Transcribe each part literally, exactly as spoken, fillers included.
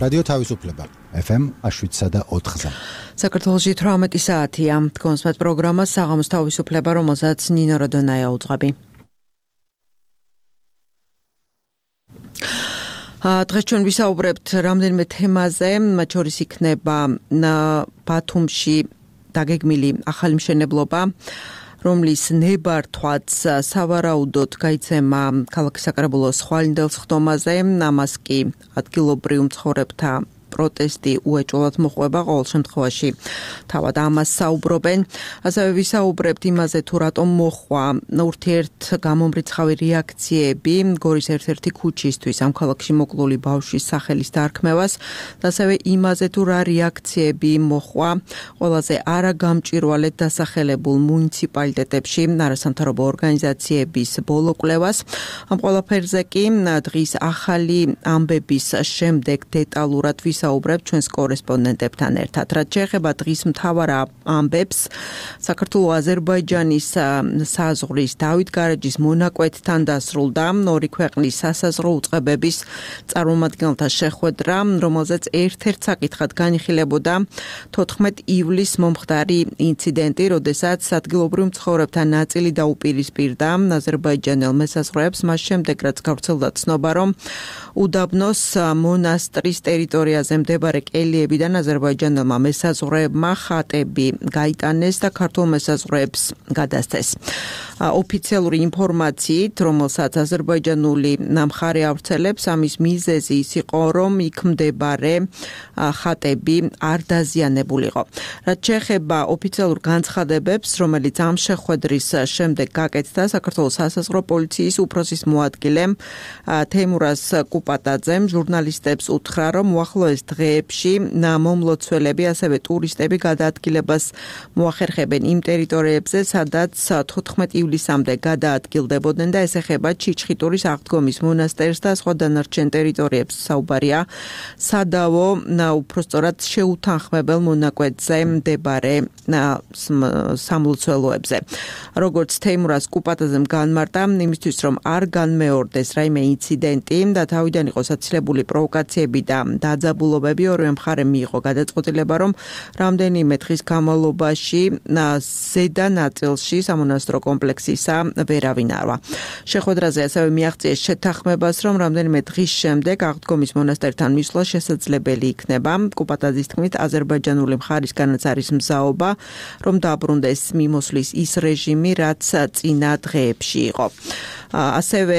რადიო თავისუფლება ეფ ემ შვიდსა და ოთხზე. საქართველოში თვრამეტი საათია. კონსმეთ პროგრამა საღამოს თავისუფლება, რომელსაც ნინო როდონაია უძღვები. დღეს ჩვენ ვისაუბრებთ რამდენიმე თემაზე, მათ შორის იქნება ბათუმში დაგეგმილი ახალი მშენებლობა, რომლის ნებართვაც სავარაუდოდ გაიცემა ქალაქის საკრებულოს ხვალინდელ სხდომაზე, ამას კი ადგილობრივ მცხოვრებთა პროტესტი უეჭველად მოხვება, ყოველ შემთხვევაში თავად ამას საუბრობენ. ასევე ვისაუბრებთ იმაზე, თუ რატომ მოხვა ურთიერთგამომრიცხავი რეაქციები გორის ერთ-ერთი ქუჩისთვის ამ ქალაქში მოკლული ბავშვის სახელის დარქმევას, და ასევე იმაზე, თუ რა რეაქციები მოხვა ყველაზე არაგამჭვირვალედ დასახელებულ მუნიციპალიტეტებში არასამთავრობო ორგანიზაციების ბოლო კვლევას. ამ ყველაფერზე კი დღის ახალი ამბების შემდეგ დეტალურად ვისაუბრებთ ჩვენს კორესპონდენტებთან ერთად. რაც შეეხება დღის მთავარ ამბებს, საქართველო-აზერბაიჯანის საზღვრის დავით გარეჯის მონაკვეთთან დასრულდა ორი ქვეყნის სასაზღვრო უწყებების წარმომადგენელთა შეხვედრა, რომელზეც ერთ-ერთ საკითხად განიხილებოდა თოთხმეტ ივლისს მომხდარი ინციდენტი, როდესაც ადგილობრივ მცხოვრებთა ნაწილი დაუპირისპირდა აზერბაიჯანელ მესაზღვრეებს, მას შემდეგ რაც გავრცელდა ცნობა, რომ უდაბნოს მონასტრის ტერიტორიაზე მდებარე კელიებიდან აზერბაიჯანელმა მესაზღვრეებმა ხატები გაიტანეს და ქართულ მესაზღვრეებს გადასცეს. ოფიციალური ინფორმაციით, რომელსაც აზერბაიჯანული მხარე ავრცელებს, ამის მიზეზი ის იყო, რომ იქ მდებარე ხატები არ დაზიანებულიყო. რაც შეეხება ოფიციალურ განცხადებებს, რომელიც ამ შეხვედრის შემდეგ გაკეთდა, საქართველოს სასაზღვრო პოლიციის უფროსის მოადგილემ თეიმურაზ კუპატაძემ ჟურნალისტებს უთხრა, რომ უახლოეს დღეებში მომლოცველები, ასევე ტურისტები გადაადგილებას მოახერხებენ იმ ტერიტორიებზე, სადაც თოთხმეტ ივლისამდე გადაადგილდებოდნენ და ეს ეხება ჩიჩხიტურის აღდგომის მონასტერს და სხვა დანარჩენ ტერიტორიებს. საუბარია სადავო, უпростоრად შეუთანხმებელ მონაკვეთზე მდებარე სამლოცველოებზე. როგორც თეიმურაზ კუპატაძემ განმარტა, იმისთვის რომ არ განმეორდეს რაიმე ინციდენტი და თავიდან იყოს აცილებული პროვოკაციები და დაძაბულობები, ორივე მხარემ მიიღო გადაწყვეტილება, რომ რამდენიმე დღის განმავლობაში ზედა ნაწილში სამონასტრო კომპლექსისა ვერავინ არვა. შეხვედრაზე ასევე მიაღწიეს შეთანხმებას, რომ რამდენიმე დღის შემდეგ აღდგომის მონასტერთან მისვლა შესაძლებელი იქნება. კუპატაძის თქმით, აზერბაიჯანული მხარისგანაც არის მზაობა, რომ დაბრუნდეს მიმოსვლის ის რეჟიმი, რაც წინა დღეებში იყო. ასევე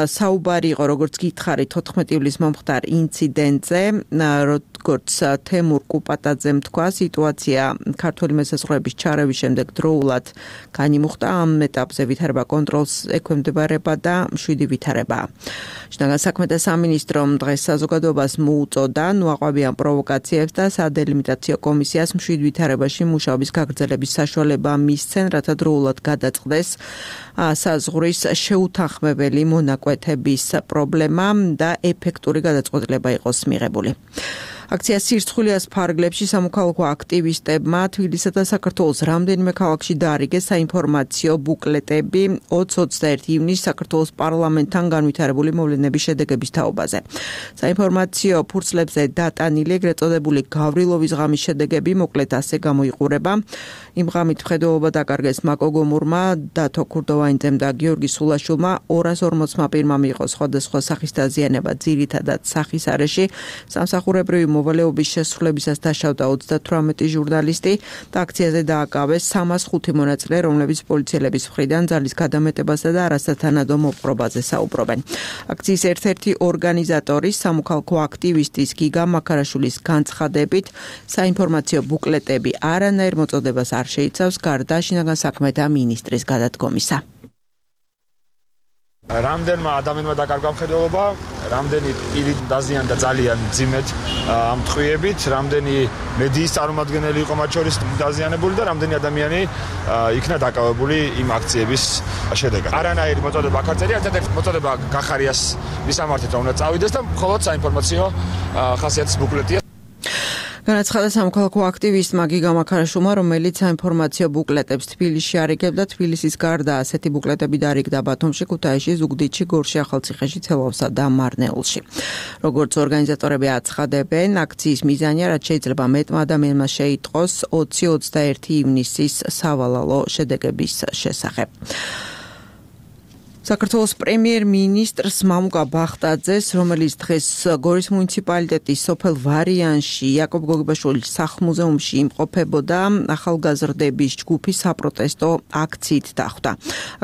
საუბარი იყო, როგორც გითხარით, თოთხმეტ ივლისს მომხდარ ინციდენტზე, როგორც თემურ კუპატაძემ თქვა, სიტუაცია ქართული მესაზღვრეების ჩარევის შემდეგ დროულად განიმუხტა, ამ ეტაპზე ვითარება კონტროლს ექვემდებარება და მშვიდი ვითარება. შინაგან საქმეთა სამინისტრომ დღეს საზოგადოებას მოუწოდა ნუაყვავიან პროვოკაციებს და სადელიმიტაციო კომისიას მშვიდ ვითარებაში მუშაობის გაგრძელების საშუალება მისცენ, რათა დროულად გადაწყდეს საზღვრის შეუთანხმებელი მონაკვეთების პრობლემა და ეფექტური გადაწყვეტილება იყოს მიღებული. აქცია სირცხვილიას ფარგლებში სამოქალაქო აქტივისტებმა თბილისსა და საქართველოს რამდენიმე ქალაქში დაარიგეს საინფორმაციო ბუკლეტები ოცი ოცდაერთი ივნისს საქართველოს პარლამენტთან განვითარებული მოვლენების შედეგების თაობაზე. საინფორმაციო ფურცლებზე დატანილი ეგრეთ წოდებული გავრილოვის ღამის შედეგები მოკლედ ასე გამოიყურება. იმ ღამით მხედველობა დაკარგეს მაკო გომურმა, დათო ქურდოვანიძემ და გიორგი სულაშვილმა, ორას ორმოცმა პირმა მიიღო სხვადასხვა სახის დაზიანება, ძირითადად სახის არეში. სამსახურებრივი მოვალეობის შესრულებისას დაშავდა ოცდათვრამეტი ჟურნალისტი და აქციაზე დააკავეს სამას ხუთი მონაწილე, რომლებიც პოლიციელების მხრიდან ძალის გადამეტებასა და არასათანადო მოპყრობაზე საუბრობენ. აქციის ერთ-ერთი ორგანიზატორის, სამოქალაქო აქტივისტის გიგა მაქარაშვილის განცხადებით, საინფორმაციო ბუკლეტები არანაირ მოწოდებას არ შეიცავს, გარდა შინაგან საქმეთა მინისტრის გადადგომისა. რამდენმა ადამიანმა დაკარგა მხედველობა, რამდენი პირი დაზიანდა ძალიან მძიმედ ამ ტყვიებით, რამდენი მედიის წარმომადგენელი იყო მათ შორის დაზიანებული და რამდენი ადამიანი იქნა დაკავებული იმ აქციების შედეგად. არანაირი მოწოდება არ წერია, ერთ-ერთი მოწოდება გახარიას მისამართით რომ უნდა წავიდეს და მხოლოდ საინფორმაციო ხასიათის ბუკლეტია. განაცხადა სამოქალაქო აქტივისტმა გიგა მაქარაშვილმა, რომელიც საინფორმაციო ბუკლეტებს თბილისში არიგებდა. თბილისის გარდა ასეთი ბუკლეტები დარიგდა ბათუმში, ქუთაისში, ზუგდიდში, გორში, ახალციხეში, თელავსა და მარნეულში. როგორც ორგანიზატორები აცხადებენ, აქციის მიზანია, რაც შეიძლება მეტმა ადამიანმა შეიტყოს ოცი ოცდაერთი ივნისის სავალალო შედეგების შესახებ. საქართველოს პრემიერ-მინისტრს მამუკა ბახტაძეს, რომელიც დღეს გორის მუნიციპალიტეტის სოფელ ვარიანში იაკობ გოგებაშვილის სახლ-მუზეუმში იმყოფებოდა, ახალგაზრდების ჯგუფი საპროტესტო აქციით დახვდა.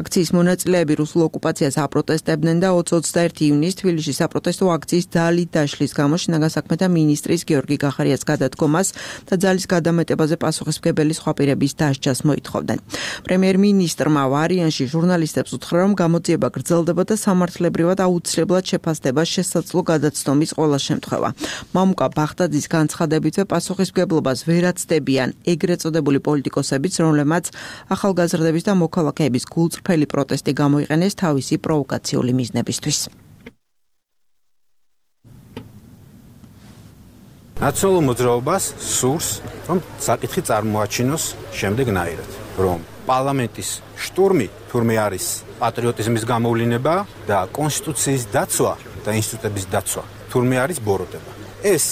აქციის მონაწილეები რუსულ ოკუპაციას აპროტესტებდნენ და ოცი ოცდაერთი ივნისს თბილისში საპროტესტო აქციის ძალით დაშლის გამო შინაგან საქმეთა მინისტრის გიორგი გახარიას გადადგომას და ძალის გადამეტებაზე პასუხისმგებელი სხვა პირების დასჯას მოითხოვდნენ. პრემიერ-მინისტრმა ვარიანში ჟურნალისტებს უთხრა, რომ გამოძიება გრძელდება და სამართლებრივად აუცილებლად შეფასდება შესაძლო გადაცნობის ყველა შემთხვევა. მამუკა ბახტაძის განცხადებითვე პასუხისმგებლობას ვერ აცდებიან ეგრეთ წოდებული პოლიტიკოსებიც, რომლებმაც ახალგაზრდების და მოქალაქეების გულწრფელი პროტესტი გამოიყენეს თავისი პროვოკაციული მიზნებისთვის. ნაციონალურ მოძრაობას სურს, რომ საკითხი წარმოაჩინოს შემდეგნაირად, რომ პარლამენტის შტურმი თურმე არის პატრიოტიზმის გამოვლინება და კონსტიტუციის დაცვა და ინსტიტუტების დაცვა თურმე არის ბოროტება. ეს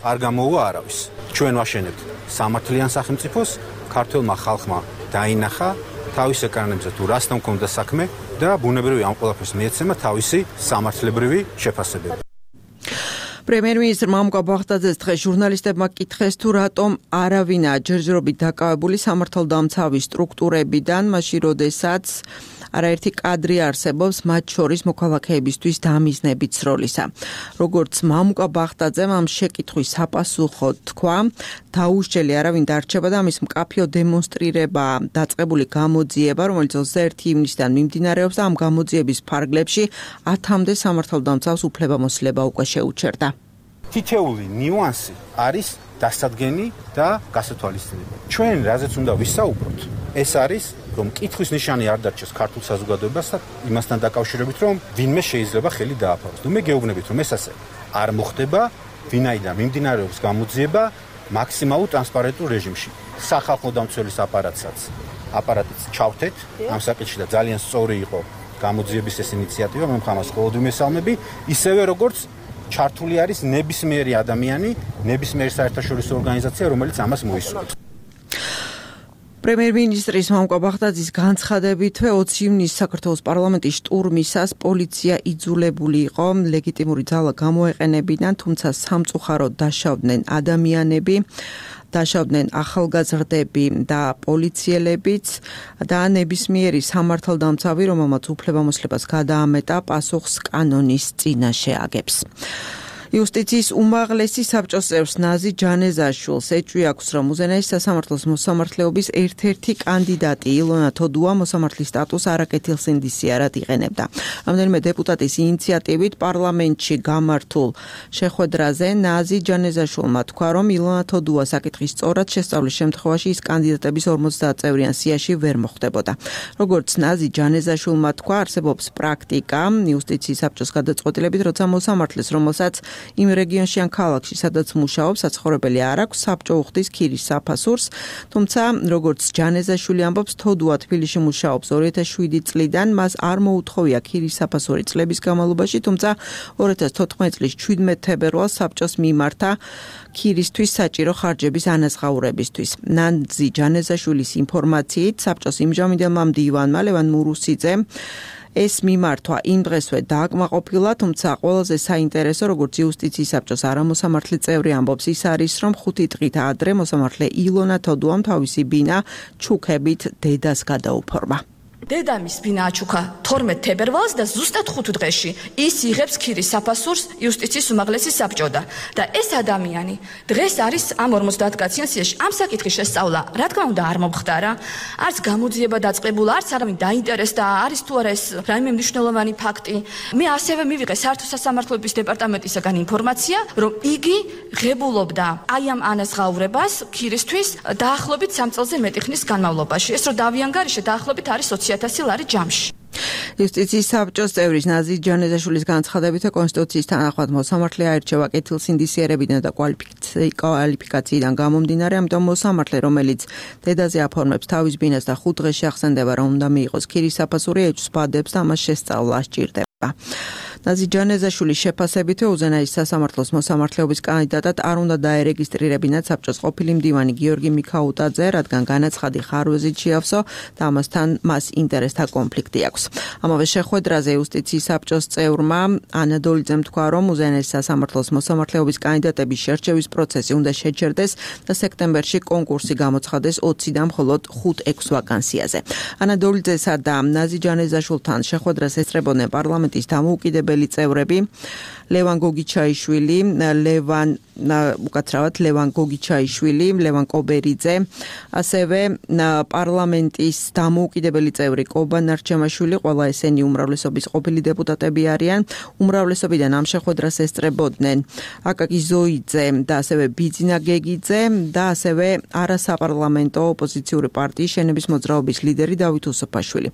არ გამოუვა არავის. ჩვენ ვაშენებთ სამართლიან სახელმწიფოს, ქართველმა ხალხმა დაინახა თავის ეკრანებზე თუ რასთან მქონდა საქმე და ბუნებრივი ამ ყველაფერს მიეცემა თავისი სამართლებრივი შეფასებები. პრემიერ-მინისტრ მამუკა ბახტაძეს დღეს ჟურნალისტებმა კითხეს, თუ რატომ არავინაა ჯერჯერობით დაკავებული სამართალდამცავი სტრუქტურებიდან, მაშინ როდესაც არაერთი კადრი არსებობს, მათ შორის მოქალაქეებისთვის დამიზნებით სროლისა. როგორც მამუკა ბახტაძემ ამ შეკითხვის საპასუხოდ თქვა, დაუსჯელი არავინ დარჩება და ამის მკაფიო დემონსტრირება დაწყებული გამოძიება, რომელიც ოცდაერთი ივნისიდან მიმდინარეობს და ამ გამოძიების ფარგლებში ათამდე სამართალდამცავს უფლებამოსილება უკვე შეუჩერდა. თითეული ნიუანსი არის დასადგენი და გასათვალისწინებელი. ჩვენ რაზეც უნდა ვისაუბროთ, ეს არის, რომ კითხვის ნიშანი არ დარჩეს ქართულ საზოგადოებას და იმასთან დაკავშირებით, რომ ვინმე შეიძლება ხელი დააფაროს. ნუ მე გეუბნებით, რომ ეს ასე არ მოხდება, ვინაიდან მიმდინარეობს გამოძიება მაქსიმალურ ტრანსპარენტულ რეჟიმში. სახალხო დამცველის აპარატსაც აპარატიც ჩავთეთ ამ საკითხში და ძალიან სწორი იყო გამოძიების ეს ინიციატივა, მე მხამას ყოველდღე მესალმები, ისევე როგორც ჩართული არის ნებისმიერი ადამიანი, ნებისმიერი საერთაშორისო ორგანიზაცია, რომელიც ამას მოისურვებს. პრემიერ-მინისტრის მამუკა ბახტაძის განცხადებითვე ოცი ივნისს საქართველოს პარლამენტის შტურმისას პოლიცია იძულებული იყო ლეგიტიმური ძალა გამოეყენებინა, თუმცა სამწუხაროდ დაშავდნენ ადამიანები, დაშავდნენ ახალგაზრდები და პოლიციელებიც და ნებისმიერი სამართალდამცავი, რომელმაც უფლებამოსილებას გადაამეტა, პასუხს კანონის წინაშე აგებს. იუსტიციის უმაღლესი საბჭოს წევრს ნაზი ჯანეზაშვილს ეჭვი აქვს, რომ უზენაესი სასამართლოს მოსამართლეობის ერთ-ერთი კანდიდატი ილონა თოდუა მოსამართლის სტატუსს არაკეთილ სინდისიარად იყენებდა. რამდენიმე დეპუტატის ინიციატივით პარლამენტში გამართულ შეხვედრაზე ნაზი ჯანეზაშვილმა თქვა, რომ ილონა თოდუა საკითხის სწორად შესწავლის შემთხვევაში ის კანდიდატების ორმოცდაათწევრიან სიაში ვერ მოხვდებოდა. როგორც ნაზი ჯანეზაშვილმა თქვა, არსებობს პრაქტიკა იუსტიციის საბჭოს გადაწყვეტილებით, როცა მოსამართლეს, რომელსაც იმ რეგიონში ან ქალაქში, სადაც მუშაობს, საცხოვრებელი არ აქვს, საბჭო უხდის ქირის საფასურს, თუმცა როგორც ჯანეზაშვილი ამბობს, თოდუა თბილისში მუშაობს ორი ათას შვიდი წლიდან, მას არ მოუთხოვია ქირის საფასური წლების განმავლობაში, თუმცა ორი ათას თოთხმეტი წლის ჩვიდმეტ თებერვალს საბჭოს მიმართა ქირისთვის საჭირო ხარჯების ანაზღაურებისთვის. ნანძი ჯანეზაშვილის ინფორმაციით, საბჭოს იმჟამინდელმა მდივანმა ლევან მურუსიძემ ეს მიმართვა იმ დღესვე დააკმაყოფილა, თუმცა ყველაზე საინტერესო, როგორც იუსტიციის საბჭოს არამოსამართლე წევრი ამბობს, ის არის, რომ ხუთი დღით ადრე მოსამართლე ილონა თოდუამ თავისი ბინა ჩუქებით დედას გადაუფორმა. დედამის ბინა აჩუქა თორმეტ თებერვალს და ზუსტად ხუთ დღეში ის იღებს ქირის საფასურს იუსტიციის უმაღლესი საბჭოდან და ეს ადამიანი დღეს არის ამ ორმოცდაათ კაციან სიაში. ამ საკითხის შესწავლა რა თქმა უნდა არ მომხდარა, არც გამოძიება დაწყებულა, არც არავინ დაინტერესდა, არის თუ არა ეს რაიმე მნიშვნელოვანი ფაქტი. მე ასევე მივიღე საერთო სასამართლოების დეპარტამენტისაგან ინფორმაცია, რომ იგი ღებულობდა აი ამ ანაზღაურებას ქირისთვის დაახლოებით სამ წელზე მეტი ხნის განმავლობაში. ეს რომ დავიანგარიშე დაახლოებით არის ოცი ათასი ლარი ჯამში. იუსტიციის საბჭოს წევრის ნაზი ჯანეზაშვილის განცხადებით კონსტიტუციის თანახმად მოსამართლე აირჩევა კეთილსინდისიერებიდან და კვალიფიკაციიდან გამომდინარე, ამიტომ მოსამართლე, რომელიც დედაზე აფორმებს თავის ბინას და ხუთ დღეში ახსენდება, რომ უნდა მიიღოს ქირის საფასური, ეჭვს ბადებს და ამას შესწავლა სჭირდება. ნაზი ჯანეზაშვილის შეფასებით უზენაის სასამართლოს მოსამართლეობის კანდიდატად არ უნდა დაერეგისტრირებინათ საბჭოს ყოფილი მდივანი გიორგი მიქაუტაძე, რადგან განაცხადი ხარვეზით შეავსო და ამასთან მას ინტერესთა კონფლიქტი აქვს. ამავე შეხვედრაზე იუსტიციის საბჭოს წევრმა ანა დოლიძემ თქვა, რომ უზენაის სასამართლოს მოსამართლეობის კანდიდატების შერჩევის პროცესი უნდა შეჩერდეს და სექტემბერში კონკურსი გამოცხადეს ოცი და მხოლოდ ხუთ ექვს ვაკანსიაზე. ანა დოლიძესა და ნაზი ჯანეზაშვილთან შეხვედრას ესწრებოდნენ პარლამენტის დამოუკიდებელი წევრები ლევან გოგიჩაიშვილი, ლევან უკაცრავად ლევან გოგიჩაიშვილი, ლევან კობერიძე, ასევე პარლამენტის დამოუკიდებელი წევრი კობა ნარჩემაშვილი, ყველა ესენი უმრავლესობის ყოფილი დეპუტატები არიან. უმრავლესობიდან ამ შეხვედრას ესწრებოდნენ აკაკი ზოიძე და ასევე ბიძინა გეგიძე და ასევე არასაპარლამენტო ოპოზიციური პარტიის შენების მოძრაობის ლიდერი დავით უსუფაშვილი.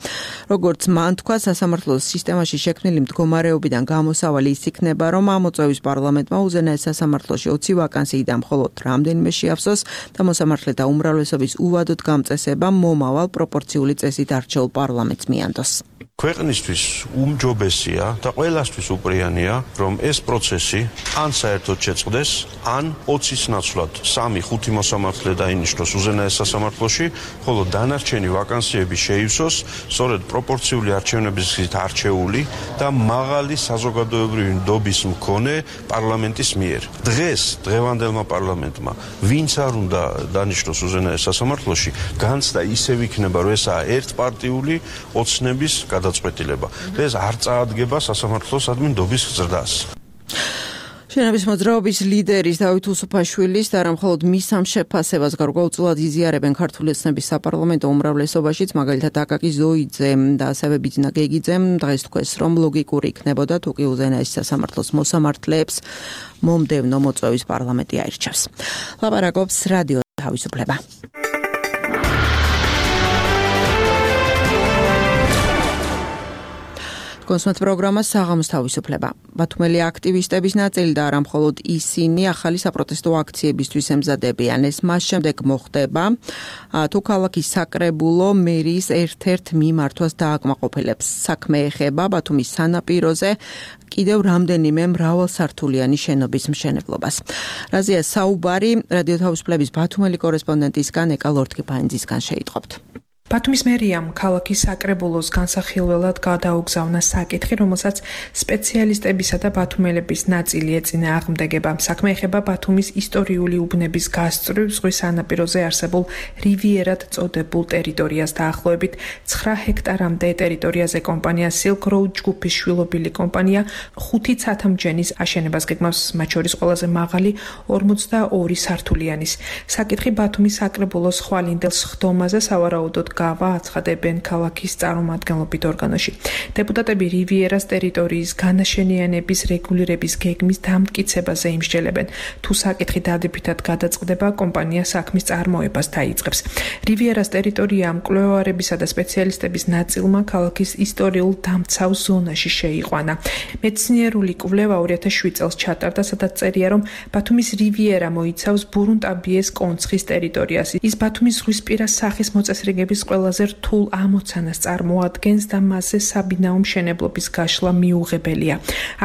როგორც მან თქვა, სასამართლოს სისტემაში შექმნილი მდგომარეობიდან გამოსავალი ის იქნება, რომ ამოწევის პარლამენტმა უზენაეს სასამართლოში ოცი ვაკანსიიდან მხოლოდ რამდენიმე შეავსოს და მოსამართლეთა უმრავლესობის უვადოდ გამწესება მომავალ პროპორციული წესით არჩეულ პარლამენტს მიანდოს. ქვეყნისთვის უმჯობესია და ყველასთვის უპრიანია, რომ ეს პროცესი ან საერთოდ შეწყდეს, ან ოცის ნაცვლად სამი ხუთი მოსამართლე დაინიშნოს უზენაეს სასამართლოში, ხოლო დანარჩენი ვაკანსიები შეივსოს სწორედ პროპორციული არჩევნების გზით არჩეული და მაღალი საზოგადოებრივი ნდობის მქონე პარლამენტის მიერ. დღეს დღევანდელმა პარლამენტმა ვინც არ უნდა დანიშნოს უზენაეს სასამართლოში, განცდა ისევ იქნება, რომ ესაა ერთპარტიული ოცნების გადაწყვეტილება. ეს არ წაადგება სასამართლოს ადმინდობის ზრდას. შენების მოძრაობის ლიდერის დავით უსუფაშვილის და არა მხოლოდ მის ამ შეფასებას გარკვეულწილად იზიარებენ ქართული ოცნების საპარლამენტო უმრავლესობაშიც, მაგალითად აკაკი ზოიძემ და ასევე ბიძინა გეგიძემ დღეს თქვეს, რომ ლოგიკური იქნებოდა თუ კი უზენაეს სასამართლოს მოსამართლეებს მომდევნო მოწვევის პარლამენტი აირჩევს. ლაპარაკობს რადიო თავისუფლება. კონსმეთ პროგრამა საღამოს თავისუფლება. ბათუმელი აქტივისტების ნაწილი და არა მხოლოდ ისინი ახალი საპროტესტო აქციებისთვის ემზადებიან. ეს მას შემდეგ მოხდება, თუ ქალაქის საკრებულო მერიის ერთ-ერთ მიმართვას დააკმაყოფილებს. საქმე ეხება ბათუმის სანაპიროზე კიდევ რამდენიმე მრავალსართულიანი შენობის მშენებლობას. რაზეა საუბარი რადიო თავისუფლების ბათუმელი კორესპონდენტისგან ეკა ლორთქიფანიძისგან შეიტყობთ. ბათუმის მერიამ ქალაქის საკრებულოს განსახილველად გადაუგზავნა საკითხი, რომელსაც სპეციალისტებისა და ბათუმელების ნაწილი ეწინააღმდეგება. საქმე ეხება ბათუმის ისტორიული უბნების გასწვრივ ზღვის სანაპიროზე არსებულ რივიერად წოდებულ ტერიტორიას. დაახლოებით ცხრა ჰექტარამდე ტერიტორიაზე კომპანია Silk Road ჯგუფის შვილობილი კომპანია ხუთი ცათამჯენის აშენებას გეგმავს, მათ შორის ყველაზე მაღალი ორმოცდაორი სართულიანის. საკითხი ბათუმის საკრებულოს ხვალინდელ სხდომაზე სავარაუდოდ გავა აცხადებენ ქალაქის წარმომადგენლობით ორგანოში. დეპუტატები რივიერას ტერიტორიის განაშენიანების რეგულირების გეგმის დამტკიცებაზე იმსჯელებენ. თუ საკითხი დადებითად გადაწყდება, კომპანია საქმის წარმოებას დაიწყებს. რივიერას ტერიტორია მკვლევარებისა და სპეციალისტების ნაწილმა ქალაქის ისტორიულ დამცავ ზონაში შეიყვანა. მეცნიერული კვლევა ორი ათას შვიდ წელს ჩატარდა, სადაც წერია, რომ ბათუმის რივიერა მოიცავს ბურუნტაბიეს კონცხის ტერიტორიას. ის ბათუმის ზღვისპირა სახის მოწესრიგების ყველაზე რთულ ამოცანას წარმოადგენს და მასზე საბინაო მშენებლობის გაშლა მიუღებელია.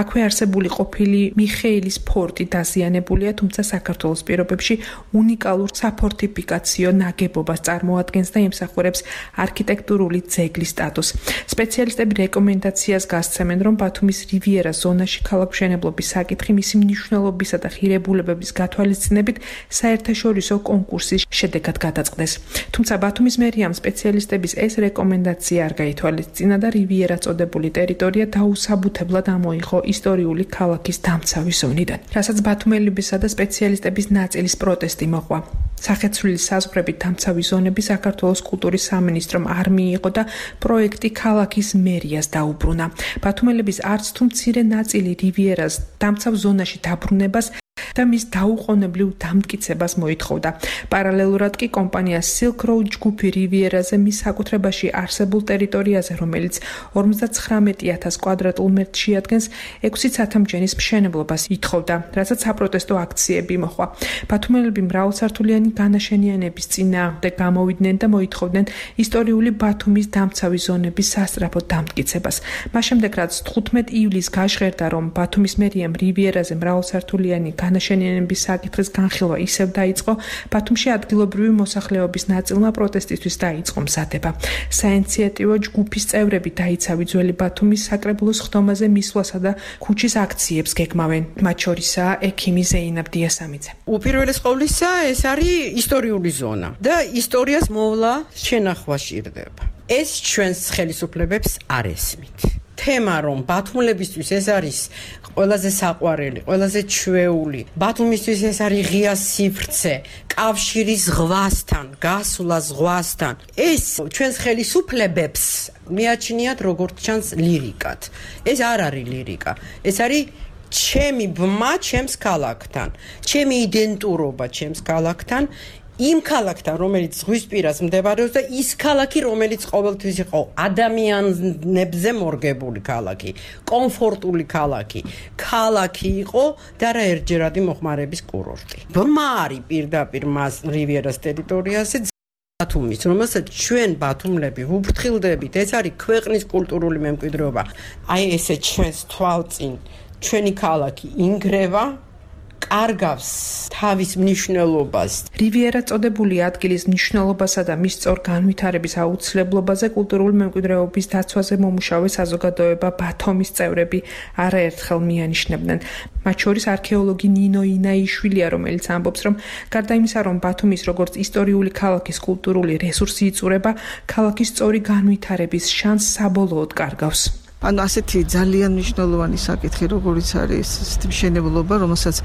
აქვე არსებული ყოფილი მიხეილის ფორტი დაზიანებულია, თუმცა საქართველოს პირობებში უნიკალურ საფორტიფიკაციო ნაგებობას წარმოადგენს და ემსახურებს არქიტექტურული ძეგლის სტატუსს. სპეციალისტები რეკომენდაციას გასცემენ, რომ ბათუმის რივიერას ზონაში ქალაქმშენებლობის საკითხი მისი მნიშვნელობისა და ღირებულებების გათვალისწინებით საერთაშორისო კონკურსის შედეგად გადაწყდეს. თუმცა ბათუმის მერიამ სპეციალისტების ეს რეკომენდაცია არ გაითვალისწინა და რივიერა წოდებული ტერიტორია დაუსაბუთებლად ამოიღო ისტორიული ქალაქის დამცავი ზონიდან, რასაც ბათუმელებისა და სპეციალისტების ნაწილის პროტესტი მოყვა. სახეცვლილი საზღვრებით დამცავი ზონები საქართველოს კულტურის სამინისტრომ არ მიიღო და პროექტი ქალაქის მერიას დაუბრუნა. ბათუმელების არც თუ მცირე ნაწილი რივიერას დამცავ ზონაში დაბრუნებას და მის დაუყოვნებლივ დამტკიცებას მოითხოვდა. პარალელურად კი კომპანია Silk Road ჯგუფი რივიერაზე მის საკუთრებაში არსებულ ტერიტორიაზე, რომელიც ორმოცდათხრამეტი ათასი კვადრატულ მეტრს შეადგენს, ექვსი ცათამბჯენის მშენებლობას ითხოვდა, რასაც საპროტესტო აქციები მოჰყვა. ბათუმელები მრავალსართულიანი განაშენიანების წინააღმდეგ გამოვიდნენ და მოითხოვდნენ ისტორიული ბათუმის დამცავი ზონების სასწრაფო დამტკიცებას. მას შემდეგ, რაც თხუთმეტი ივლისს გაჟღერდა, რომ ბათუმის მერიამ რივიერაზე მრავალსართულიანი განაშენიანების საკითხის განხილვა ისევ დაიწყო, ბათუმში ადგილობრივი მოსახლეობის ნაწილმა პროტესტისთვის დაიწყო მზადება. საინიციატივო ჯგუფის წევრები დაიცავი ძველი ბათუმის საკრებულოს ხდომაზე მისვლასა და ქუჩის აქციებს გეგმავენ. მათ შორისაა ექიმი ზეინაბ დიასამიძე. უპირველეს ყოვლისა, ეს არის ისტორიული ზონა და ისტორიას მოვლა შენახვა სჭირდება. ეს ჩვენს ხელისუფლებებს არ ესმით. თემა, რომ ბათუმელებისთვის ეს არის ყველაზე საყვარელი, ყველაზე ჩვეული, ბათუმისთვის ეს არის ღია სივრცე, კავშირი ზღვასთან, გასვლა ზღვასთან. ეს ჩვენს ხელისუფლებებს მიაჩნიათ როგორც ჩანს ლირიკად. ეს არ არის ლირიკა. ეს არის ჩემი ბმა ჩემს ქალაქთან, ჩემი იდენტურობა ჩემს ქალაქთან, იმ ქალაქთან, რომელიც ზღვისპირას მდებარეობს და ის ქალაქი, რომელიც ყოველთვის იყო ადამიანებზე მორგებული ქალაქი, კომფორტული ქალაქი, ქალაქი იყო და რა ერთჯერადი მოხმარების კურორტი. ბმა არის პირდაპირ მას რივიერას ტერიტორიაზე ბათუმის, რომელსაც ჩვენ ბათუმლები ვუფრთხილდებით, ეს არის ქვეყნის კულტურული მემკვიდრეობა. აი ესე ჩვენს თვალწინ ჩვენი ქალაქი ინგრევა, კარგავს თავის მნიშვნელობას. რივიერა წოდებული ადგილის მნიშვნელობასა და მის სწორ განვითარების აუცილებლობაზე კულტურული მემკვიდრეობის დაცვაზე მომუშავე საზოგადოება ბათუმის წევრები არაერთხელ მიანიშნებდნენ. მათ შორის არქეოლოგი ნინო ინაიშვილია, რომელიც ამბობს, რომ გარდა იმისა, რომ ბათუმის როგორც ისტორიული ქალაქის კულტურული რესურსი იწურება, ქალაქის სწორი განვითარების შანსს საბოლოოდ კარგავს. ანუ ასეთი ძალიან მნიშვნელოვანი საკითხი, როგორიც არის ესეთი მშენებლობა, რომელსაც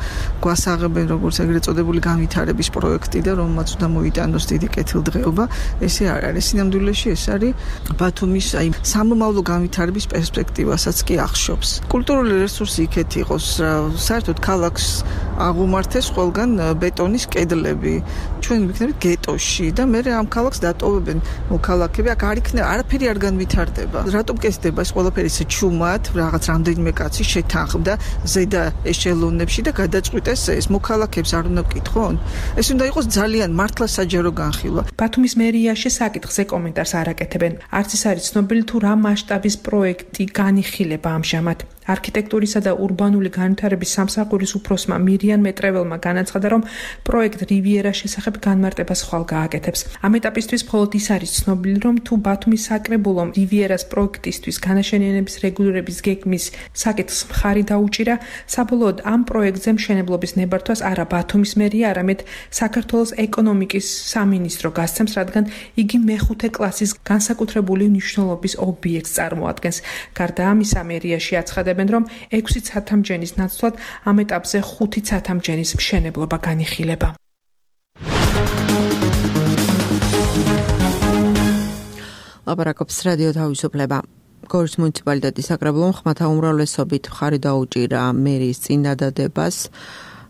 გვასაღებენ როგორც ეგრეთ წოდებული განვითარების პროექტი და რომელმაც უნდა მოიტანოს დიდი კეთილდღეობა, ესე არ არის. სინამდვილეში ეს არის ბათუმის აი სამომავლო განვითარების პერსპექტივასაც კი ახშობს. კულტურული რესურსი იქეთ იყოს, საერთოდ ქალაქს აღუმართეს ყველგან ბეტონის კედლები. ჩვენ ვიქნებით გეტოში და მე ამ ქალაქს დატოვებენ მოქალაქეები, აქ არ იქნება, არაფერი არ განვითარდება. რატომ კეთდება ეს ყველაფერი? ეს ჩუმად რაღაც რამდენიმე კაცი შეთანხმდა ზედა ეშელონებში და გადაწყვიტეს ეს მოქალაქეებს არ უნდა ვკითხონ. ეს უნდა იყოს ძალიან მართლა საჯარო განხილვა. ბათუმის მერიაში საკითხზე კომენტარს არ აკეთებენ. არც ის არის ცნობილი თუ რა მასშტაბის პროექტი განიხილება ამჟამად. არქიტექტურისა და ურბანული განვითარების სამსახურის უფროსმა მირიან მეტრეველმა განაცხადა, რომ პროექტ რივიერას შესახებ განმარტებას ხვალ გააკეთებს. ამ ეტაპისთვის მხოლოდ ის არის ცნობილი, რომ თუ ბათუმის საკრებულომ რივიერას პროექტისთვის განაშენიანების რეგულირების გეგმის საკითხს მხარი დაუჭირა, საბოლოოდ ამ პროექტზე მშენებლობის ნებართვას არა ბათუმის მერია, არამედ საქართველოს ეკონომიკის სამინისტრო გასცემს, რადგან იგი მეხუთე კლასის განსაკუთრებული მნიშვნელობის ობიექტს წარმოადგენს. გარდა ამისა, მერიაში აცხადებენ, რომ ექვსი ცათამბჯენის ნაცვლად ამ ეტაპზე ხუთი ცათამბჯენის მშენებლობა განიხილება. ლაპარაკობს რადიო თავისუფლება. გორის მუნიციპალიტეტის საკრებულომ ხმათა უმრავლესობით მხარი დაუჭირა მერის წინადადებას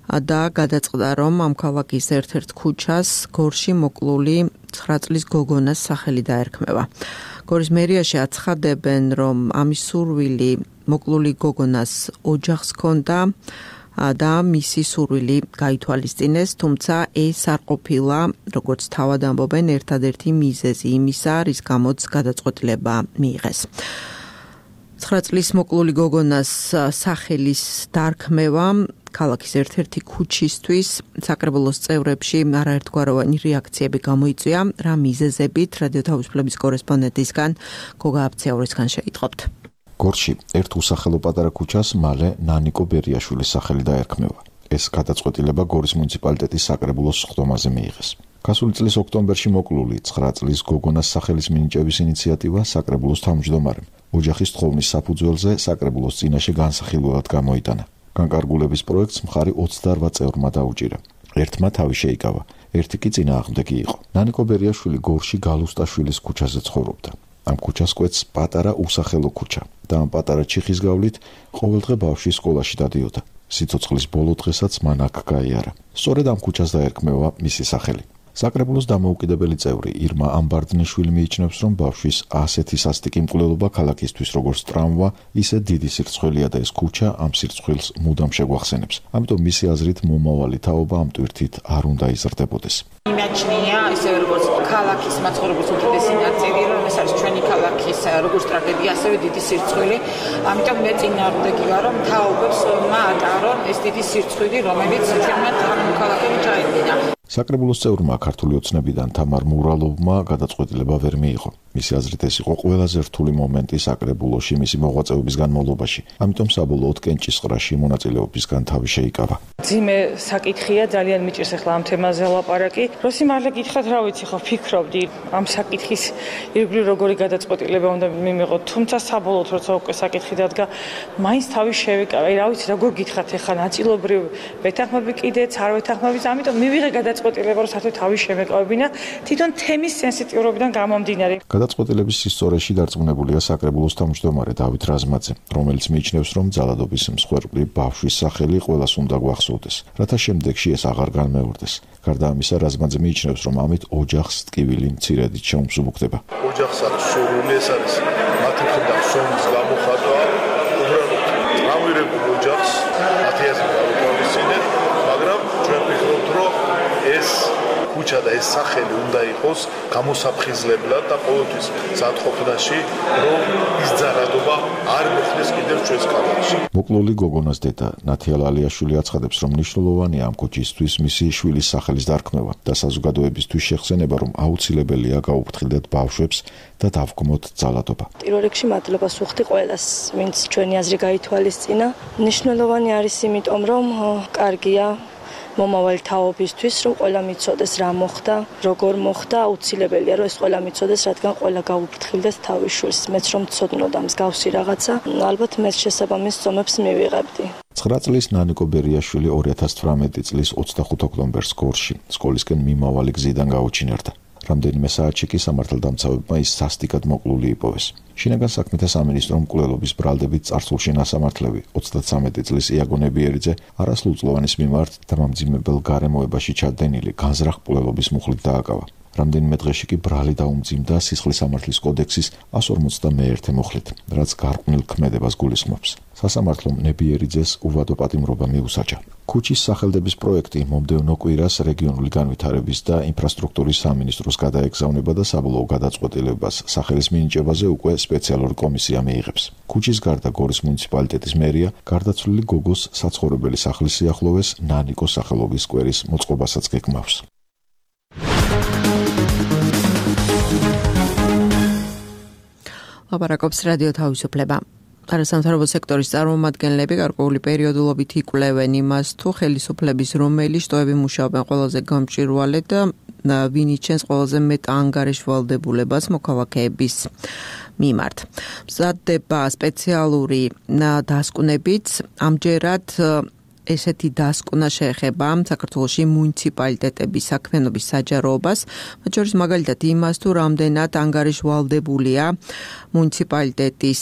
და გადაწყდა, რომ ამ ქალაქის ერთ-ერთ ქუჩას გორში მოკლული ცხრა წლის გოგონას სახელი დაერქმევა. გორის მერიაში აცხადებენ, რომ ამის სურვილი მოკლული გოგონას ოჯახს ჰქონდა და მისი სურვილი გაითვალისწინეს, თუმცა ეს არ ყოფილა, როგორც თავად ამბობენ, ერთადერთი მიზეზი იმისა, რის გამოც გადაწყვეტილება მიიღეს. ცხრა წლის მოკლული გოგონას სახელის დარქმევა ქალაქის ერთ-ერთი ქუჩისთვის საკრებულოს წევრებში არაერთგვაროვანი რეაქციები გამოიწვია, რა მიზეზებით რადიო თავისუფლების კორესპონდენტისგან გოგა აფციაურისგან შეიტყობთ. გორში ერთ უსახელო პატარა ქუჩას მალე ნანიკო ბერიაშვილის სახელი დაერქმევა. ეს გადაწყვეტილება გორის მუნიციპალიტეტის საკრებულოს ხდომაზე მიიღეს. გასული წლის ოქტომბერში მოკლული ცხრა წლის გოგონას სახელის მინიჭების ინიციატივა საკრებულოს თავმჯდომარემ ოჯახის თხოვნის საფუძველზე საკრებულოს წინაშე განსახილველად გამოიტანა. განკარგულების პროექტს მხარი ოცდაორ წევრმა დაუჭირა. ერთმა თავი შეიკავა, ერთი კი წინააღმდეგი იყო. ნანიკო ბერიაშვილი გორში გალუსტაშვილის ქუჩაზე ცხოვრობდა. ამ ქუჩას კვეთს პატარა უსახელო ქუჩა და ამ პატარა ჩიხის გავლით ყოველდღე ბავშვი სკოლაში დადიოდა. სიცოცხლის ბოლო დღესაც მან აქ გაიარა. სწორედ ამ ქუჩას დაერქმევა მისი სახელი. საკრებულოს დამოუკიდებელი წევრი ირმა ამბარდნიშვილი მიიჩნევს, რომ ბავშვის ასეთი სასტიკი მკვლელობა ქალაქისთვის როგორც ტრამვა, ისე დიდი სირცხვილია და ეს ქუჩა ამ სირცხვილს მუდამ შეგვახსენებს. ამიტომ მისი აზრით მომავალი თაობა ამ ტვირთით არ უნდა იზრდებოდეს. იმაჩნია ისე როგორც ქალაქის მაცხოვრებლის უდიდესი ნაწილი, რომ ეს არის ჩვენი ქალაქის როგორც ტრაგედია, ასევე დიდი სირცხვილი. ამიტომ მე წინააღმდეგი ვარ, რომ თაობებს მაატარონ ეს დიდი სირცხვილი, რომელიც ჩვენმა ქალაქებში ჩაედინა. საკრებულოს წევრმა ქართული ოცნებიდან თამარ მურალოვმა გადაწყვეტილება ვერ მიიღო. მისი აზრით ეს იყო ყველაზე რთული მომენტი საკრებულოში მისი მოღვაწეობის განმავლობაში. ამიტომ საბოლოოდ კენჭისყრაში მონაწილეობისგან თავი შეიკავა. ძიმე საკითხია, ძალიან მიჭირს ახლა ამ თემაზე ლაპარაკი. რო სიმართლე გითხრათ, რა ვიცი, ხო ფიქრობდი ამ საკითხის ირგვლივ როგორი გადაწყვეტილება უნდა მიმიღო, თუმცა საბოლოოდ როცა უკვე საკითხი დადგა, მაინც თავი შევიკავა. რა ვიცი, როგორ გითხრათ ახლა ნაწილობრივ ვეთანხმები კიდეც არ ვეთანხმები, ამიტომ მივიღე გადაწყვეტილება, რომ საერთოდ თავი შემეკავებინა თვითონ თემის სენსიტიურობიდან გამომდინარე. გადაწყვეტილების სისწორეში დარწმუნებულია საკრებულოს თავმჯდომარე დავით რაზმაძე, რომელიც მიიჩნევს, რომ ძალადობის მსხვერპლი ბავშვის სახელი ყველას უნდა გვახსოვდეს, რათა შემდეგში ეს აღარ განმეორდეს. გარდა ამისა, რაზმაძე მიიჩნევს, რომ ამით ოჯახს ტკივილი მცირედით შეუმსუბუქდება. ოჯახს არის სურვილი, ეს არის მათი მხრიდან სონის გამოხატვა, უბრალოდ წავირებულ ოჯახს მათი აზრით გავუთვალისწინეთ, მაგრამ ჩვენ ვფიქრობთ, რომ ეს ქუჩა და ეს სახელი უნდა იყოს გამოსაფხიზლებლად და ყოველთვის სათხოვნაში, რომ ის ძალადობა არ მოხდეს კიდევ ჩვენს ქალაქში. მოკლული გოგონას დედა ნათია ლალიაშვილი აცხადებს, რომ მნიშვნელოვანია ამ ქუჩისთვის მისი შვილის სახელის დარქმევა და საზოგადოებისთვის შეხსენება, რომ აუცილებელია გაუფრთხილდეთ ბავშვებს და დავგმოთ ძალადობა. პირველ რიგში მადლობას ვუხდი ყველას, ვინც ჩვენი აზრი გაითვალისწინა. მნიშვნელოვანი არის იმიტომ, რომ კარგია მომავალი თაობისთვის, რომ ყველა მიცოდეს რა მოხდა, როგორ მოხდა, აუცილებელია რომ ეს ყველა მიცოდეს, რადგან ყველა გაუფრთხილდეს თავის შვილს. მეც რომ ცოდნოდა მსგავსი რაღაცა, ალბათ მეც შესაბამის ზომებს მივიღებდი. ცხრა წლის ნანიკო ბერიაშვილი ორი ათას თვრამეტი წლის ოცდახუთი ოქტომბერს გორში სკოლისკენ მიმავალი გზიდან გაუჩინარდა. რამდენიმე საათში კი სამართალდამცავებმა ის სასტიკად მოკლული იპოვეს. შინაგან საქმეთა სამინისტრომ მკვლელობის ბრალდებით წარსულში ნასამართლები ოცდათსამეტი წლის იაგო ნებიერიძე არასრულწლოვანის მიმართ დამამძიმებელ გარემოებაში ჩადენილი განზრახ მკვლელობის მუხლით დააკავა. რამდენიმე დღეში კი ბრალი დაუმძიმდა სისხლის სამართლის კოდექსის εκατს ორმოცდამეერთე მუხლით, რაც გარყვნილ ქმედებას გულისხმობს. სასამართლომ ნებიერიძეს უვადო პატიმრობა მიუსაჯა. ქუჩის სახელდების პროექტი მომდევნო კვირას რეგიონული განვითარების და ინფრასტრუქტურის სამინისტროს გადაეგზავნება და საბოლოო გადაწყვეტილებას სახელის მინიჭებაზე უკვე სპეციალური კომისია მიიღებს. ქუჩის გარდა გორის მუნიციპალიტეტის მერია გარდაცვლილი გოგოს საცხოვრებელი სახლის სიახლოვეს ნანიკოს სახელობის სკვერის მოწყობასაც გეგმავს. ლაპარაკობს რადიო თავისუფლება. არასამთავრობო სექტორის წარმომადგენლები გარკვეული პერიოდულობით იკვლევენ იმას, თუ ხელისუფლების რომელი შტოები მუშაობენ ყველაზე გამჭვირვალედ და ვინ იჩენს ყველაზე მეტ ანგარიშვალდებულებას მოქალაქეების მიმართ. მზადდება სპეციალური დასკვნებიც, ამჯერად ესეთი დასკვნა შეეხება საქართველოში მუნიციპალიტეტების საქმიანობის საჯაროებას, მათ შორის მაგალითად იმას, თუ რამდენად ანგარიშვალდებულია მუნიციპალიტეტის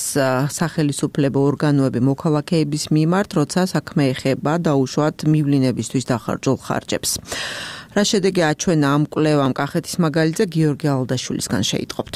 სახელისუფლებო ორგანოები მოქალაქეების მიმართ, როცა საქმე ეხება დაუშვათ მივლინებისთვის დახარჯულ ხარჯებს. რა შედეგი აჩვენა ამ კვლევამ კახეთის მაგალითზე გიორგი ალდაშვილისგან შეიტყობთ.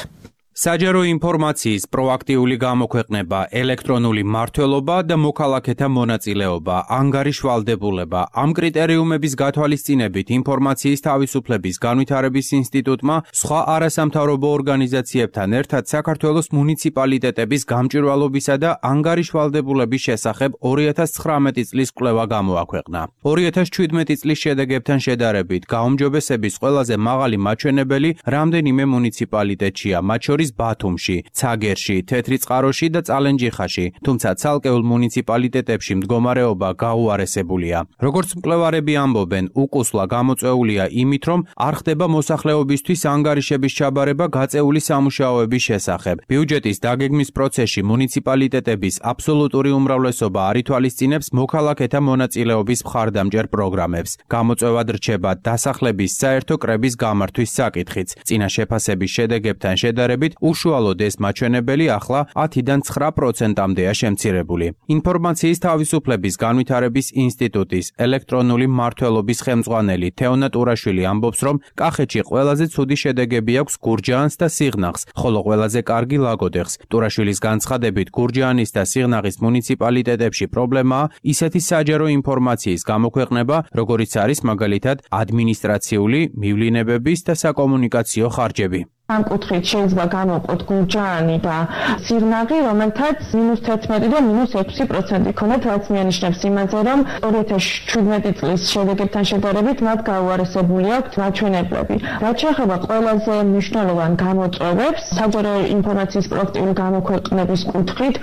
საჯარო ინფორმაციის პროაქტიული გამოქვეყნება, ელექტრონული მმართველობა და მოქალაქეთა მონაწილეობა, ანგარიშვალდებულება. ამ კრიტერიუმების გათვალისწინებით ინფორმაციის თავისუფლების განვითარების ინსტიტუტმა სხვა არასამთავრობო ორგანიზაციებთან ერთად საქართველოს მუნიციპალიტეტების გამჭვირვალობისა და ანგარიშვალდებულების შესახებ ორი ათას ცხრამეტი წლის კვლევა გამოაქვეყნა. ორი ათას შვიდმეტი წლის შედეგებთან შედარებით გაუმჯობესების ყველაზე მაღალი მაჩვენებელი რამდენიმე მუნიციპალიტეტშია, მათ შორის ბათუმში, ცაგერში, თეთრიწყაროში და წალენჯიხაში, თუმცა ცალკეულ მუნიციპალიტეტებში მდგომარეობა გაუარესებულია. როგორც მკვლევარები ამბობენ, უკუსლა გამოწვეულია იმით, რომ არ ხდება მოსახლეობისთვის ანგარიშების ჩაბარება გაწეული სამუშაოების შესახებ. ბიუჯეტის დაგეგმვის პროცესში მუნიციპალიტეტების აბსოლუტური უმრავლესობა არ ითვალისწინებს მოქალაქეთა მონაწილეობის მხარდამჭერ პროგრამებს. გამოწვევად რჩება დასახლების საერთო კრების გამართვის საკითხიც. წინა შეფასების შედეგებთან შედარებით უშუალოდ ეს მაჩვენებელი ახლა ათიდან ცხრა პროცენტამდეა შემცირებული. ინფორმაციის თავისუფლების განვითარების ინსტიტუტის ელექტრონული მმართველობის ხელმძღვანელი თეონა ტურაშვილი ამბობს, რომ კახეთში ყველაზე ცუდი შედეგები აქვს გურჯაანს და სიღნაღს, ხოლო ყველაზე კარგი ლაგოდეხს. ტურაშვილის განცხადებით, გურჯაანის და სიღნაღის მუნიციპალიტეტებში პრობლემაა ისეთი საჯარო ინფორმაციის გამოქვეყნება, როგორიც არის მაგალითად ადმინისტრაციული, მივლინებების და საკომუნიკაციო ხარჯები. ამ კუთხით შეიძლება გამოვყოთ გურჯაანი და სიღნაღი, რომელთაც მინუს თერთმეტი და მინუს ექვსი პროცენტი ქონდათ, რაც მიანიშნებს იმაზე, რომ ორი ათას შვიდმეტი წლის შედეგებთან შედარებით მათ გაუარესებული აქვთ მაჩვენებლები. რაც შეეხება ყველაზე მნიშვნელოვან გამოწვევებს, საჯარო ინფორმაციის პროაქტიული გამოქვეყნების კუთხით,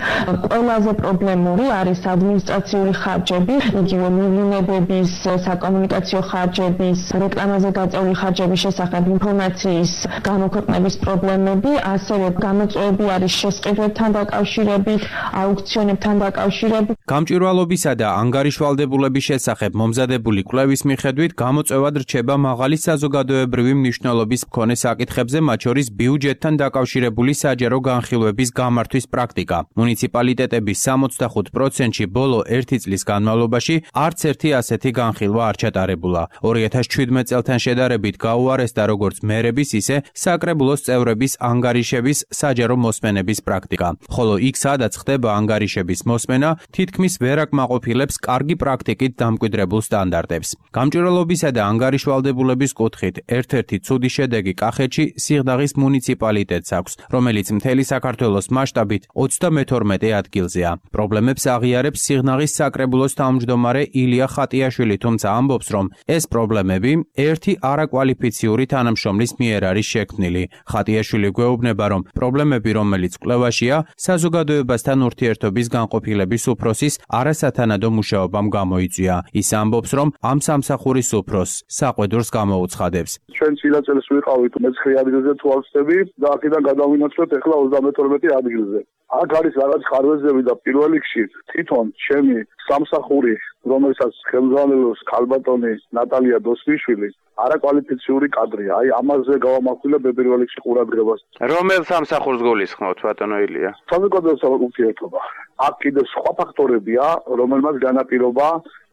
ყველაზე პრობლემური არის ადმინისტრაციული ხარჯები, იგივე მივლინებების, საკომუნიკაციო ხარჯების, რეკლამაზე გაწეული ხარჯების შესახებ ინფორმაციის გამოქვეყნების ნების პრობლემები, ასევე გამოწვევები არის შესყიდვებთან დაკავშირებით, აუქციონებთან დაკავშირებით. გამჭვირვალობისა და ანგარიშვალდებულების შესახებ მომზადებული კვლევის მიხედვით გამოწვევად რჩება მაღალი საზოგადოებრივი მნიშვნელობის მქონე საკითხებზე, მათ შორის ბიუჯეტთან დაკავშირებული საჯარო განხილვების გამართვის პრაქტიკა. მუნიციპალიტეტების სამოცდახუთ პროცენტში ბოლო ერთი წლის განმავლობაში არც ერთი ასეთი განხილვა არ ჩატარებულა. ორი ათას შვიდმეტ წელთან შედარებით გაუარესდა როგორც მერების, ისე საკრებულოს წევრების ანგარიშების საჯარო მოსმენების პრაქტიკა. ხოლო იქ, სადაც ხდება ანგარიშების მოსმენა, თითქმის ვერ აკმაყოფილებს კარგი პრაქტიკით დამკვიდრებულ სტანდარტებს. გამჭვირვალობისა და ანგარიშვალდებულების კუთხით ერთ-ერთი ცუდი შედეგი კახეთში სიღნაღის მუნიციპალიტეტს აქვს, რომელიც მთელი საქართველოს მასშტაბით ოცდამეთორმეტე ადგილზეა. პრობლემებს აღიარებს სიღნაღის საკრებულოს თავმჯდომარე ილია ხატიაშვილი, თუმცა ამბობს, რომ ეს პრობლემები ერთი არაკვალიფიციური თანამშრომლის მიერ არის შექმნილი. ხატიაშვილი გვეუბნება, რომ პრობლემები, რომელიც კვლევაშია, საზოგადოებასთან ურთიერთობის განყოფილების უფროსის არასათანადო მუშაობამ გამოიწვია. ის ამბობს, რომ ამ სამსახურის უფროსს საყვედურს გამოუცხადებს. ჩვენ წინა წელს ვიყავით მეცხრე ადგილზე თუ არ ვწდები და აქედან გადავინაცვლეთ ახლა ოცდამეთორმეტე ადგილზე. აქ არის რაღაც ხარვეზები და პირველ რიგში თვითონ ჩემი სამსახური, რომელსაც ხელმძღვანელობს ქალბატონი ნატალია დოსმიშვილი, არაკვალიფიციური კადრია. აი ამაზე გავამახვილებ პირველ რიგში ყურადღებას. რომელ სამსახურს გულისხმობთ, ბატონო ილია? საზოგადოებრივი ურთიერთობა. აქ კიდევ სხვა ფაქტორებია, რომელმაც განაპირობა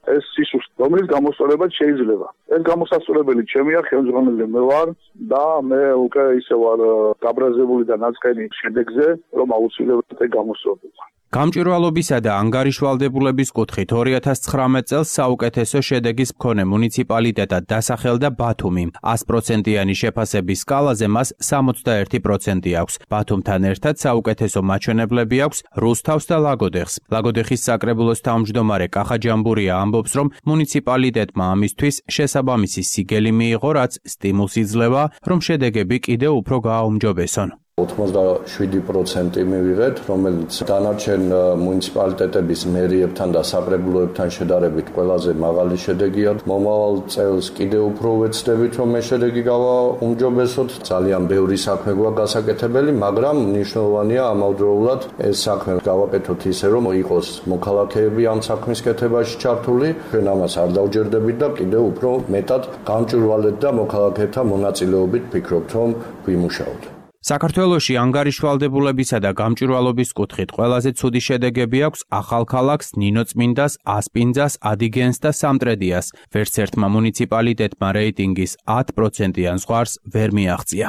ეს სისუსტე, რომელიც გამოსწორებად შეიძლება. ეს გამოსასწორებელი ჩემია, ხელმძღვანელი მე ვარ და მე უკვე ისე ვარ გაბრაზებული და ნაწყენი შედეგზე, რომ აუცილებლად ეგ გამოსწორდება. გამჭვირვალობისა და ანგარიშვალდებულების კუთხით ორი ათას ცხრამეტ წელს საუკეთესო შედეგის მქონე მუნიციპალიტეტად დასახელდა ბათუმი. ას პროცენტიანი შეფასების სკალაზე მას სამოცდაერთი პროცენტი აქვს. ბათუმთან ერთად საუკეთესო მაჩვენებლები აქვს რუსთავს და ლაგოდეხს. ლაგოდეხის საკრებულოს თავმჯდომარე კახა ჯამბურია ამბობს, რომ მუნიციპალიტეტმა ამისთვის შესაბამისი სიგელი მიიღო, რაც სტიმულს იძლევა, რომ შედეგები კიდევ უფრო გააუმჯობესონ. ოცდაშვიდი პროცენტი მივიღეთ, რომელიც დანარჩენ მუნიციპალიტეტების მერიებთან და საკრებულოებთან შედარებით ყველაზე მაღალი შედეგია. მომავალ წელს კიდევ უფრო ვეცდებით, რომ ეს შედეგი გავაუმჯობესოთ. ძალიან ბევრი საქმე გვაქვს გასაკეთებელი, მაგრამ მნიშვნელოვანია ამავდროულად ეს საქმე გავაკეთოთ ისე, რომ იყოს მოქალაქეები ამ საქმის კეთებაში ჩართული. ჩვენ ამას არ დავჯერდებით და კიდევ უფრო მეტად გამჭვირვალედ და მოქალაქეთა მონაწილეობით ვფიქრობთ, რომ ვიმუშაოთ. საქართველოში ანგარიშვალდებულებისა და გამჭვირვალობის კუთხით ყველაზე ცუდი შედეგები აქვს ახალქალაქს, ნინოწმინდას, ასპინძას, ადიგენს და სამტრედიას. ვერც ერთმა მუნიციპალიტეტმა რეიტინგის ათ პროცენტიან ზღვარს ვერ მიაღწია.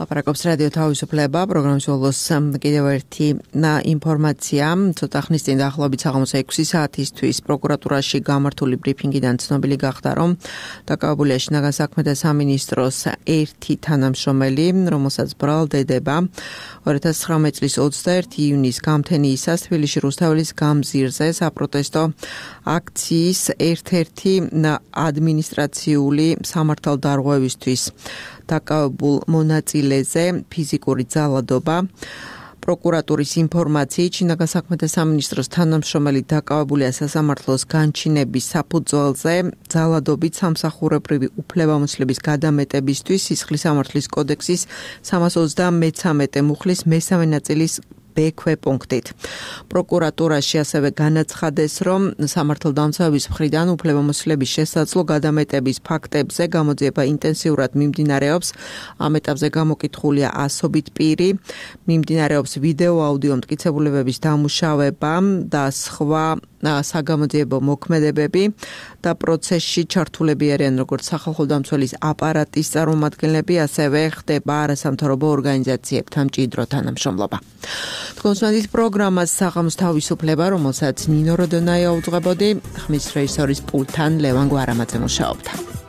ლაპარაკობს რადიო თავისუფლება, პროგრამის ბოლოს კიდევ ერთი ინფორმაცია. ცოტა ხნის წინ დაახლოებით საღამოს ექვსი საათისთვის პროკურატურაში გამართული ბრიფინგიდან ცნობილი გახდა, რომ დაკავებულია შინაგან საქმეთა სამინისტროს ერთი თანამშრომელი, რომელსაც ბრალდება ორი ათას ცხრამეტ წლის ოცდაერთი იუნის გამთენიისას თბილისში რუსთაველის გამზირზე საპროტესტო აქციის ერთ-ერთი ადმინისტრაციული სამართალდარღვევისთვის დაკავებულ მონაწილეზე ფიზიკური ძალადობა. პროკურატურის ინფორმაციით, შინაგან საქმეთა სამინისტროს თანამშრომელი დაკავებულია სასამართლოს განჩინების საფუძველზე ძალადობით სამსახურებრივი უფლებამოსილების გადამეტებისთვის სისხლის სამართლის კოდექსის სამას ოცდამეცამეტე მუხლის მესამე ნაწილის ბ პუნქტით. პროკურატურაში ასევე განაცხადეს, რომ სამართალდამცავების მხრიდან უფლებამოსილების შესაძლო გადამეტების ფაქტებზე გამოძიება ინტენსიურად მიმდინარეობს. ამ ეტაპზე გამოკითხულია ასობით პირი, მიმდინარეობს ვიდეო აუდიო მტკიცებულებების დამუშავება და სხვა საგამოძიებო მოქმედებები და პროცესში ჩართულები არიან როგორც სახალხო დამცველის აპარატის წარმომადგენლები, ასევე ხდება არასამთავრობო ორგანიზაციებთან მჭიდრო თანამშრომლობა. თქვენს პროგრამას საღამოს თავისუფლება, რომელსაც ნინო როდონაია უძღვებოდი, ხმის რეჟისორის პულტთან ლევან გვარამაძე მუშაობდა.